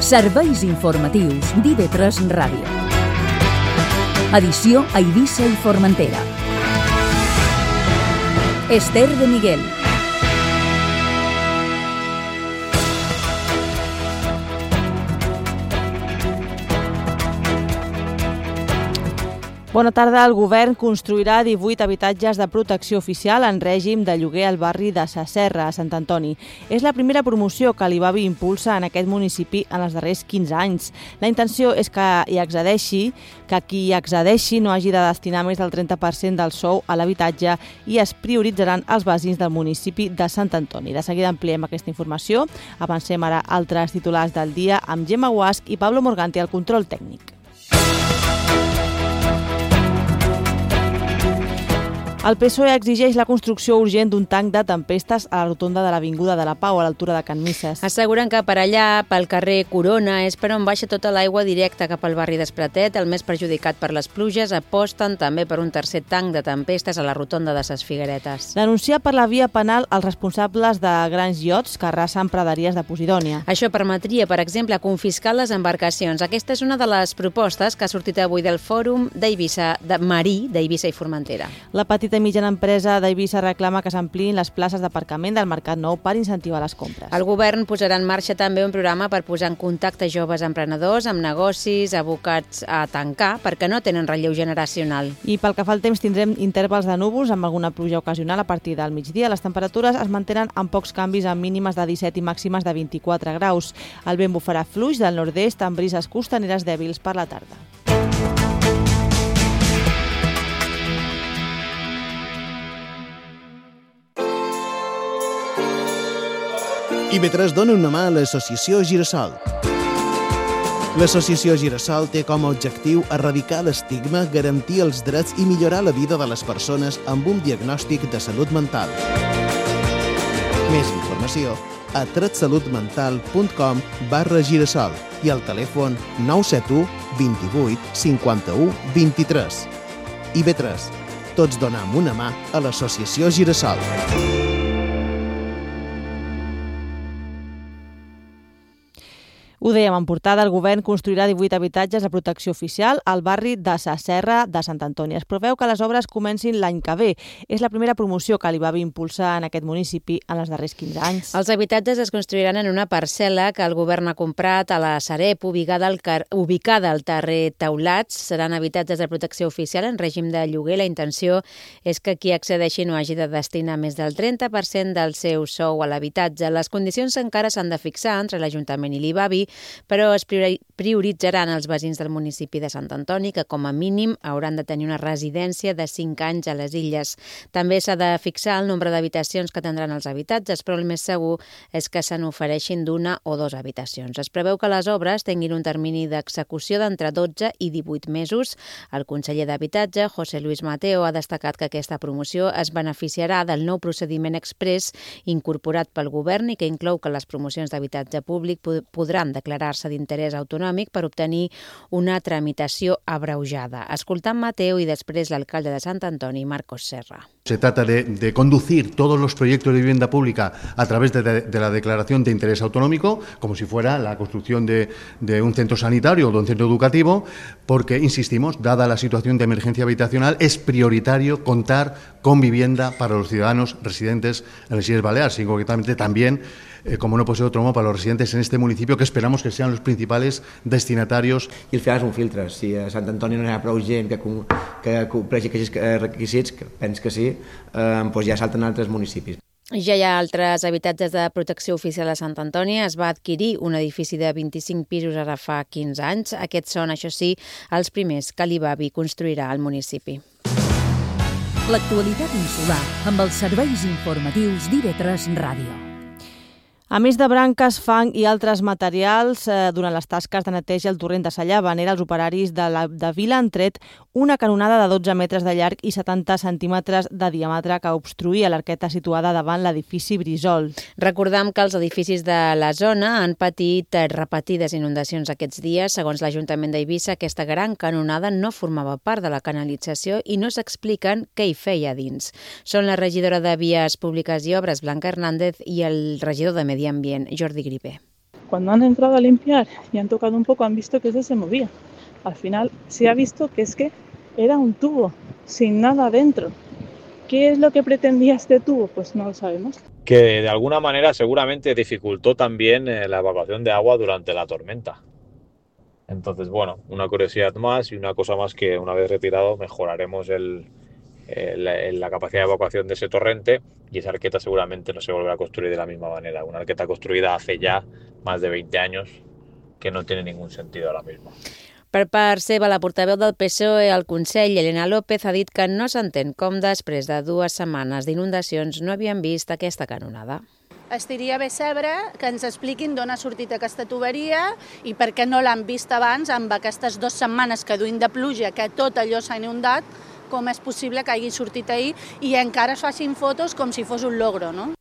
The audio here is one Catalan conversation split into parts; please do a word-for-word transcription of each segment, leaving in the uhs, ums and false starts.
Serveis informatius d'I V tres Ràdio. Edició a Eivissa i Formentera. Esther de Miguel. Bona tarda. El govern construirà divuit habitatges de protecció oficial en règim de lloguer al barri de Sa Serra, a Sant Antoni. És la primera promoció que l'Ivabi impulsa en aquest municipi en els darrers quinze anys. La intenció és que hi accedeixi, que qui hi accedeixi no hagi de destinar més del trenta per cent del sou a l'habitatge i es prioritzaran els veïns del municipi de Sant Antoni. De seguida ampliem aquesta informació. Avancem ara altres titulars del dia amb Gemma Guasch i Pablo Morganti al control tècnic. El P S O E exigeix la construcció urgent d'un tanc de tempestes a la rotonda de l'Avinguda de la Pau, a l'altura de Can Misses. Asseguren que per allà, pel carrer Corona, és per on baixa tota l'aigua directa cap al barri d'Espratet, el més perjudicat per les pluges. Aposten també per un tercer tanc de tempestes a la rotonda de Ses Figueretes. Denunciar per la via penal els responsables de grans iots que arrasen praderies de Posidònia. Això permetria, per exemple, confiscar les embarcacions. Aquesta és una de les propostes que ha sortit avui del Fòrum d'Eivissa, de Marí, d'Eivissa i Formentera. La petita i mitjana empresa d'Eivissa reclama que s'ampliïn les places d'aparcament del Mercat Nou per incentivar les compres. El govern posarà en marxa també un programa per posar en contacte joves emprenedors amb negocis abocats a tancar perquè no tenen relleu generacional. I pel que fa al temps tindrem intervals de núvols amb alguna pluja ocasional a partir del migdia. Les temperatures es mantenen amb pocs canvis, amb mínimes de disset i màximes de vint-i-quatre graus. El vent bufarà fluix del nord-est amb brises costaneres dèbils per la tarda. I V tres dona una mà a l'Associació Girasol. L'Associació Girasol té com a objectiu erradicar l'estigma, garantir els drets i millorar la vida de les persones amb un diagnòstic de salut mental. Més informació a tretsalutmental.com barra girasol i al telèfon nou set u, vint-i-vuit, cinquanta-u, vint-i-tres. I V tres. Tots donem una mà a l'Associació Girasol. Ho dèiem en portada, el govern construirà divuit habitatges de protecció oficial al barri de Sa Serra de Sant Antoni. Es preveu que les obres comencin l'any que ve. És la primera promoció que l'Ivabi impulsa en aquest municipi en els darrers quinze anys. Els habitatges es construiran en una parcel·la que el govern ha comprat a la Sareb, ubicada al, car... ubicada al carrer Teulats. Seran habitatges de protecció oficial en règim de lloguer. La intenció és que qui accedeixi no hagi de destinar més del trenta per cent del seu sou a l'habitatge. Les condicions encara s'han de fixar entre l'Ajuntament i l'Ivabi, però es prioritzaran els veïns del municipi de Sant Antoni, que com a mínim hauran de tenir una residència de cinc anys a les illes. També s'ha de fixar el nombre d'habitacions que tindran els habitatges, però el més segur és que se n'ofereixin d'una o dues habitacions. Es preveu que les obres tinguin un termini d'execució d'entre dotze i divuit mesos. El conseller d'Habitatge, José Luis Mateo, ha destacat que aquesta promoció es beneficiarà del nou procediment exprés incorporat pel govern i que inclou que les promocions d'habitatge públic podran declarar-se d'interès autonòmic per obtenir una tramitació abreujada. Escoltant Mateo y després l'alcalde de Sant Antoni, Marcos Serra. Se trata de, de conducir todos los proyectos de vivienda pública a través de, de, de la declaración de interés autonómico, como si fuera la construcción de, de un centro sanitario o de un centro educativo, porque, insistimos, dada la situación de emergencia habitacional, es prioritario contar con vivienda para los ciudadanos residentes en las Illes Baleares y concretamente también, eh, como no puede ser de otro modo, para los residentes en este municipio, que esperamos que sean los principals destinatarios. I al final és un filtre. Si a Sant Antoni no hi ha prou gent que, que compleixi aquests requisits, que penso que sí, eh, doncs ja salten a altres municipis. Ja hi ha altres habitatges de protecció oficial a Sant Antoni. Es va adquirir un edifici de vint-i-cinc pisos ara fa quinze anys. Aquests són, això sí, els primers que l'Ivabi construirà al municipi. L'actualitat insular amb els serveis informatius d'I V tres Ràdio. A més de branques, fang i altres materials, eh, durant les tasques de neteja al torrent de Sallà, Vanera, els operaris de, la, de Vila han tret una canonada de dotze metres de llarg i setanta centímetres de diàmetre que obstruïa l'arqueta situada davant l'edifici Brisol. Recordam que els edificis de la zona han patit repetides inundacions aquests dies. Segons l'Ajuntament d'Eivissa, aquesta gran canonada no formava part de la canalització i no s'expliquen què hi feia dins. Són la regidora de Vies Públiques i Obres, Blanca Hernández, i el regidor de Medi Ambient, Jordi Gripé. Cuando han entrado a limpiar y han tocado un poco, han visto que eso se movía. Al final se ha visto que es que era un tubo, sin nada dentro. ¿Qué es lo que pretendía este tubo? Pues no lo sabemos. Que de alguna manera seguramente dificultó también eh, la evacuación de agua durante la tormenta. Entonces, bueno, una curiosidad más y una cosa más que una vez retirado mejoraremos el, el, la capacidad de evacuación de ese torrente y esa arqueta seguramente no se volverá a construir de la misma manera. Una arqueta construida hace ya más de veinte años que no tiene ningún sentido ahora mismo. Per part seva, la portaveu del P S O E al Consell, Elena López, ha dit que no s'entén com després de dues setmanes d'inundacions no havien vist aquesta canonada. Estaria bé saber que ens expliquin d'on ha sortit aquesta tuberia i per què no l'han vist abans amb aquestes dues setmanes que duim de pluja, que tot allò s'ha inundat, com és possible que hagi sortit ahir i encara es facin fotos com si fos un logro, no?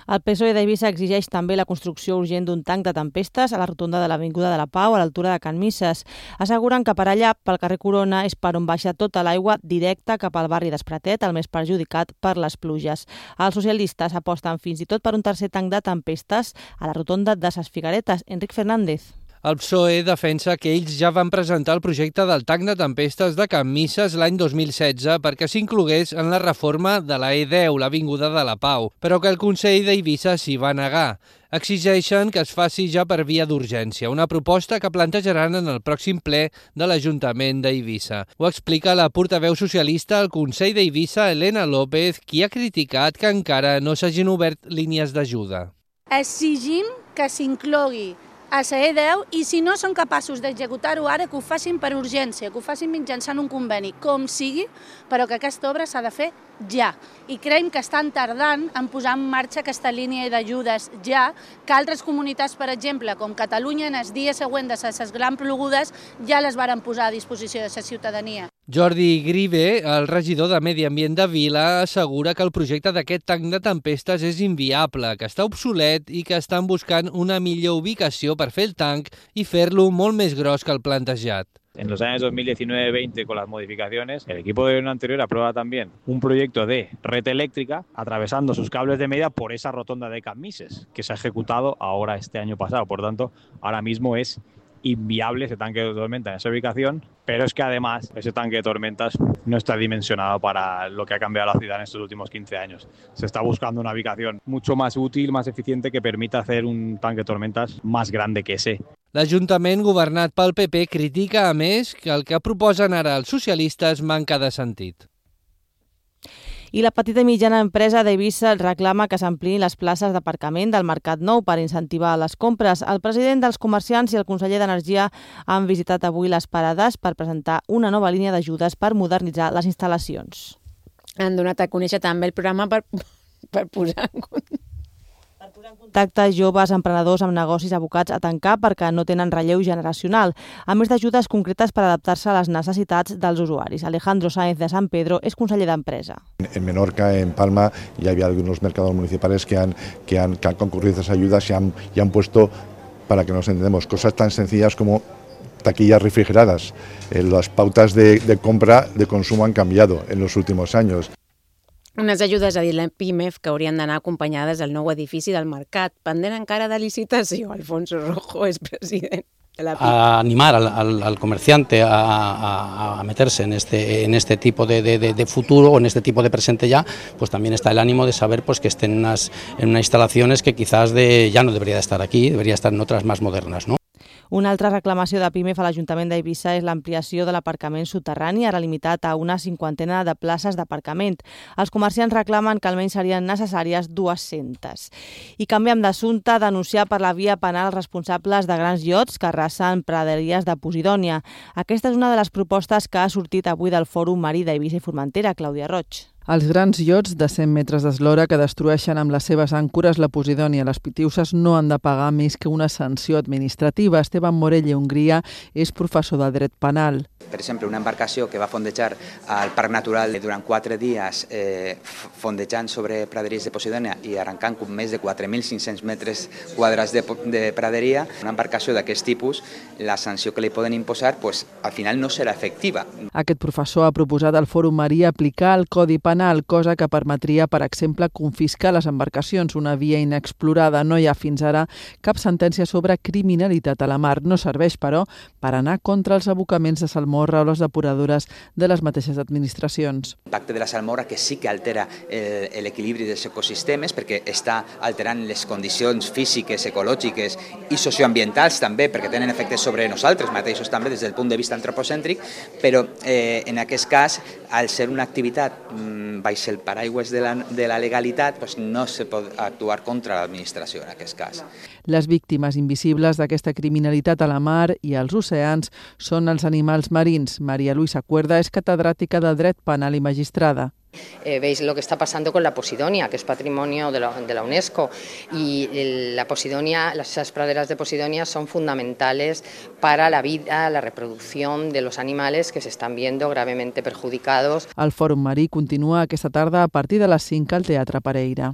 El P S O E d'Eivissa exigeix també la construcció urgent d'un tanc de tempestes a la rotonda de l'Avinguda de la Pau, a l'altura de Can Misses. Asseguren que per allà, pel carrer Corona, és per on baixa tota l'aigua directa cap al barri d'Espratet, el més perjudicat per les pluges. Els socialistes aposten fins i tot per un tercer tanc de tempestes a la rotonda de Ses Figueretes. Enric Fernández. El P S O E defensa que ells ja van presentar el projecte del tanc de tempestes de Can Misses l'any dos mil setze perquè s'inclogués en la reforma de la E deu, l'Avinguda de la Pau, però que el Consell d'Eivissa s'hi va negar. Exigeixen que es faci ja per via d'urgència, una proposta que plantejaran en el pròxim ple de l'Ajuntament d'Eivissa. Ho explica la portaveu socialista al Consell d'Eivissa, Elena López, qui ha criticat que encara no s'hagin obert línies d'ajuda. Exigim que s'inclogui a la E deu i si no són capaços d'executar-ho ara, que ho facin per urgència, que ho facin mitjançant un conveni, com sigui, però que aquesta obra s'ha de fer ja. I creiem que estan tardant en posar en marxa aquesta línia d'ajudes ja, que altres comunitats, per exemple, com Catalunya, en el dia següent de les grans plogudes, ja les varen posar a disposició de la ciutadania. Jordi Grive, el regidor de Medi Ambient de Vila, assegura que el projecte d'aquest tanc de tempestes és inviable, que està obsolet i que estan buscant una millor ubicació per fer el tanc i fer-lo molt més gros que el plantejat. En los años dos mil diecinueve veinte, con las modificaciones, el equipo de gobierno anterior aprueba también un proyecto de red eléctrica atravesando sus cables de medida por esa rotonda de Can Misses, que se ha ejecutado ahora este año pasado. Por tanto, ahora mismo es inviable ese tanque de tormenta en esa ubicación, pero es que además ese tanque de tormentas no está dimensionado para lo que ha cambiado la ciudad en estos últimos quince años. Se está buscando una ubicación mucho más útil, más eficiente, que permita hacer un tanque de tormentas más grande que ese. L'Ajuntament governat pel P P critica, a més, que el que proposen ara els socialistes manca de sentit. I la petita i mitjana empresa d'Eivissa reclama que s'ampliïn les places d'aparcament del Mercat Nou per incentivar les compres. El president dels comerciants i el conseller d'Energia han visitat avui les parades per presentar una nova línia d'ajudes per modernitzar les instal·lacions. Han donat a conèixer també el programa per, per posar en compte. Contacte joves emprenedors amb negocis abocats a tancar perquè no tenen relleu generacional, a més d'ajudes concretes per adaptar-se a les necessitats dels usuaris. Alejandro Sáenz de San Pedro és conseller d'Empresa. En Menorca, en Palma, ya había algunos mercados municipales que han, que han, que han concurrido a esas ayudas y han, y han puesto, para que nos entendamos, cosas tan sencillas como taquillas refrigeradas. Eh, las pautas de, de compra de consumo han cambiado en los últimos años. Unes ajudes, ha dit la Pimef, que haurien d'anar acompanyades del nou edifici del mercat, pendent encara de licitació. Alfonso Rojo és president de la Pimef. A animar al, al, al comerciante a, a, a meterse en este, en este tipo de, de, de futuro o en este tipo de presente ya, pues también está el ánimo de saber pues, que estén en unas, en unas instalaciones que quizás de, ya no debería de estar aquí, debería estar en otras más modernas, ¿no? Una altra reclamació de Pimef a l'Ajuntament d'Eivissa és l'ampliació de l'aparcament soterrani, ara limitat a una cinquantena de places d'aparcament. Els comerciants reclamen que almenys serien necessàries dues-centes. I canviem d'assumpte, denunciar per la via penal els responsables de grans iots que arrasen praderies de Posidònia. Aquesta és una de les propostes que ha sortit avui del Fòrum Marí d'Eivissa i Formentera, Clàudia Roig. Els grans iots de cent metres d'eslora que destrueixen amb les seves àncores la Posidònia i les Pitiuses no han de pagar més que una sanció administrativa. Esteban Morell, Hongria, és professor de dret penal. Per exemple, una embarcació que va fondejar al Parc Natural durant quatre dies eh, fondejant sobre praderies de Posidònia i arrencant més de quatre mil cinc-cents metres quadrats de, de praderia, una embarcació d'aquest tipus, la sanció que li poden imposar pues, al final no serà efectiva. Aquest professor ha proposat al Fòrum Marí aplicar el Codi Penal penal, cosa que permetria, per exemple, confiscar les embarcacions, una via inexplorada. No hi ha fins ara cap sentència sobre criminalitat a la mar. No serveix, però, per anar contra els abocaments de salmorra o les depuradores de les mateixes administracions. L'impacte de la salmorra que sí que altera l'equilibri dels ecosistemes perquè està alterant les condicions físiques, ecològiques i socioambientals també, perquè tenen efectes sobre nosaltres mateixos també des del punt de vista antropocèntric, però eh, en aquest cas, al ser una activitat mmm, baix el paraigües de la, de la legalitat, doncs no se pot actuar contra l'administració en aquest cas. Les víctimes invisibles d'aquesta criminalitat a la mar i als oceans són els animals marins. María Luisa Cuerda és catedràtica de Dret Penal i Magistrada. Eh, veis lo que está pasando con la Posidonia, que es patrimonio de la, de la UNESCO, y el, la Posidonia, las esas praderas de Posidonia son fundamentales para la vida, la reproducción de los animales que se están viendo gravemente perjudicados. El Fòrum Marí continua aquesta tarda a partir de les cinc al Teatre Pereira.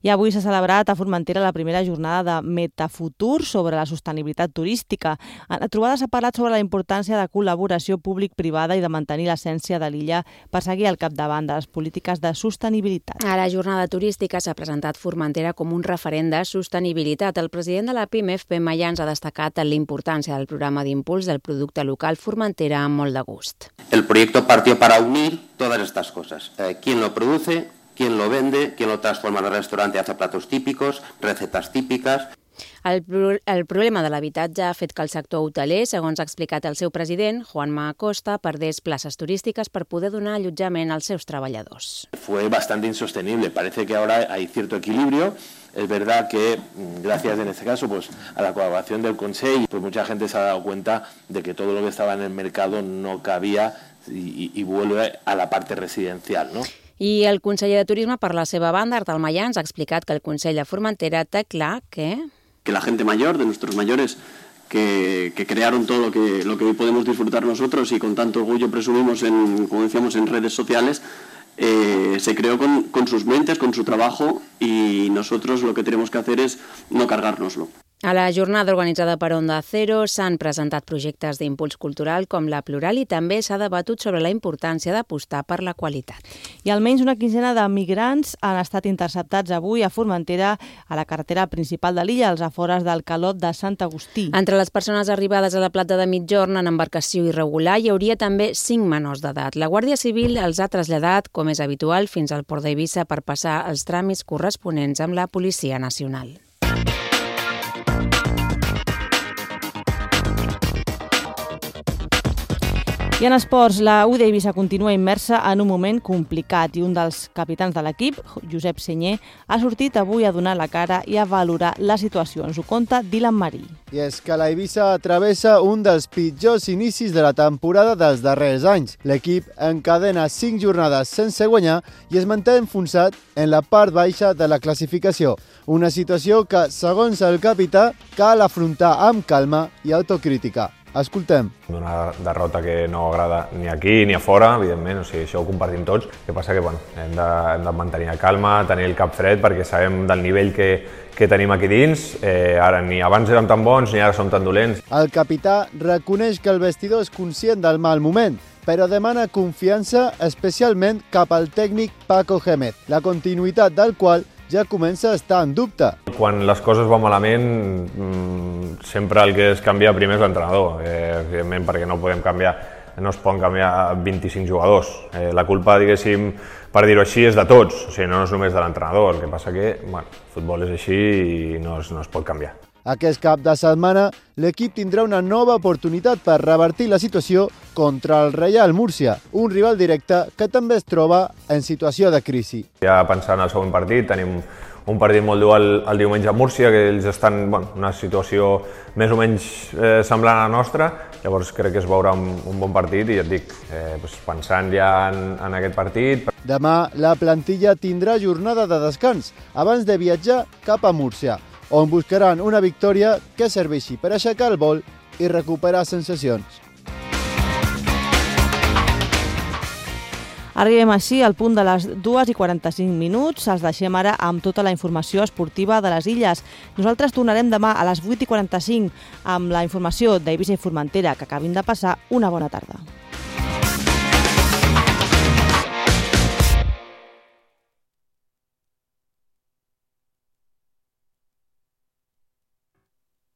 I avui s'ha celebrat a Formentera la primera jornada de Metafutur sobre la sostenibilitat turística. En la trobada s'ha parlat sobre la importància de col·laboració públic-privada i de mantenir l'essència de l'illa per seguir al capdavant de les polítiques de sostenibilitat. A la jornada turística s'ha presentat Formentera com un referent de sostenibilitat. El president de la PIMEF, Pep Mayans, ha destacat la importància del programa d'impuls del producte local Formentera amb molt de gust. El proyecto partió para unir todas estas cosas. Eh, ¿Quién lo produce? ¿Quién lo vende? ¿Quién lo transforma en el restaurante y hace platos típicos, recetas típicas? El, pro el problema de l'habitatge ha fet que el sector hoteler, segons ha explicat el seu president, Juanma Acosta, perdés places turístiques per poder donar allotjament als seus treballadors. Fue bastante insostenible. Parece que ahora hay cierto equilibrio. Es verdad que, gracias en este caso pues, a la colaboración del Consejo, pues mucha gente se ha dado cuenta de que todo lo que estaba en el mercado no cabía y, y vuelve a la parte residencial, ¿no? I el conseller de Turisme, per la seva banda, Artal Mayans, ha explicat que el Consell de Formentera té clar que... que la gente mayor, de nuestros mayores, que, que crearon todo lo que, lo que hoy podemos disfrutar nosotros y con tanto orgullo presumimos, en, como decíamos, en redes sociales, eh, se creó con, con sus mentes, con su trabajo, y nosotros lo que tenemos que hacer es no cargárnoslo. A la jornada organitzada per Onda Cero s'han presentat projectes d'impuls cultural com la Plural i també s'ha debatut sobre la importància d'apostar per la qualitat. I almenys una quinzena de migrants han estat interceptats avui a Formentera, a la carretera principal de l'illa, als afores del Calot de Sant Agustí. Entre les persones arribades a la Plata de Migjorn en embarcació irregular hi hauria també cinc menors d'edat. La Guàrdia Civil els ha traslladat, com és habitual, fins al port d'Eivissa per passar els tràmits corresponents amb la Policia Nacional. I en esports, la U d'Eivissa continua immersa en un moment complicat i un dels capitans de l'equip, Josep Senyer, ha sortit avui a donar la cara i a valorar la situació. Ens ho conta Dylan Marí. I és que l'Eivissa travessa un dels pitjors inicis de la temporada dels darrers anys. L'equip encadena cinc jornades sense guanyar i es manté enfonsat en la part baixa de la classificació. Una situació que, segons el capità, cal afrontar amb calma i autocrítica. Escoltem. Una derrota que no agrada ni aquí ni a fora, evidentment, o sigui, això ho compartim tots. El que passa que bueno, hem, de, hem de mantenir la calma, tenir el cap fred, perquè sabem del nivell que, que tenim aquí dins. Eh, ara ni abans érem tan bons ni ara som tan dolents. El capità reconeix que el vestidor és conscient del mal moment, però demana confiança especialment cap al tècnic Paco Gémez, la continuïtat del qual ja comença a estar en dubte. Quan les coses van malament, sempre el que es canvia primer és l'entrenador, eh, evidentment perquè no podem canviar, no es poden canviar vint-i-cinc jugadors. Eh, la culpa, diguéssim, per dir-ho així, és de tots, o sigui, no és només de l'entrenador. El que passa que, bueno, el futbol és així i no es, no es pot canviar. Aquest cap de setmana, l'equip tindrà una nova oportunitat per revertir la situació contra el Reial Múrcia, un rival directe que també es troba en situació de crisi. Ja pensant en el següent partit, tenim un partit molt dur el, el diumenge a Múrcia, que ells estan en bueno, una situació més o menys eh, semblant a la nostra, llavors crec que es veurà un, un bon partit i ja et dic, eh, doncs pensant ja en, en aquest partit. Demà la plantilla tindrà jornada de descans abans de viatjar cap a Múrcia, on buscaran una victòria que serveixi per aixecar el vol i recuperar sensacions. Arribem així al punt de les dues i quaranta-cinc minuts. Els deixem ara amb tota la informació esportiva de les illes. Nosaltres tornarem demà a les vuit i quaranta-cinc amb la informació d'Eivissa i Formentera. Que acabin de passar una bona tarda.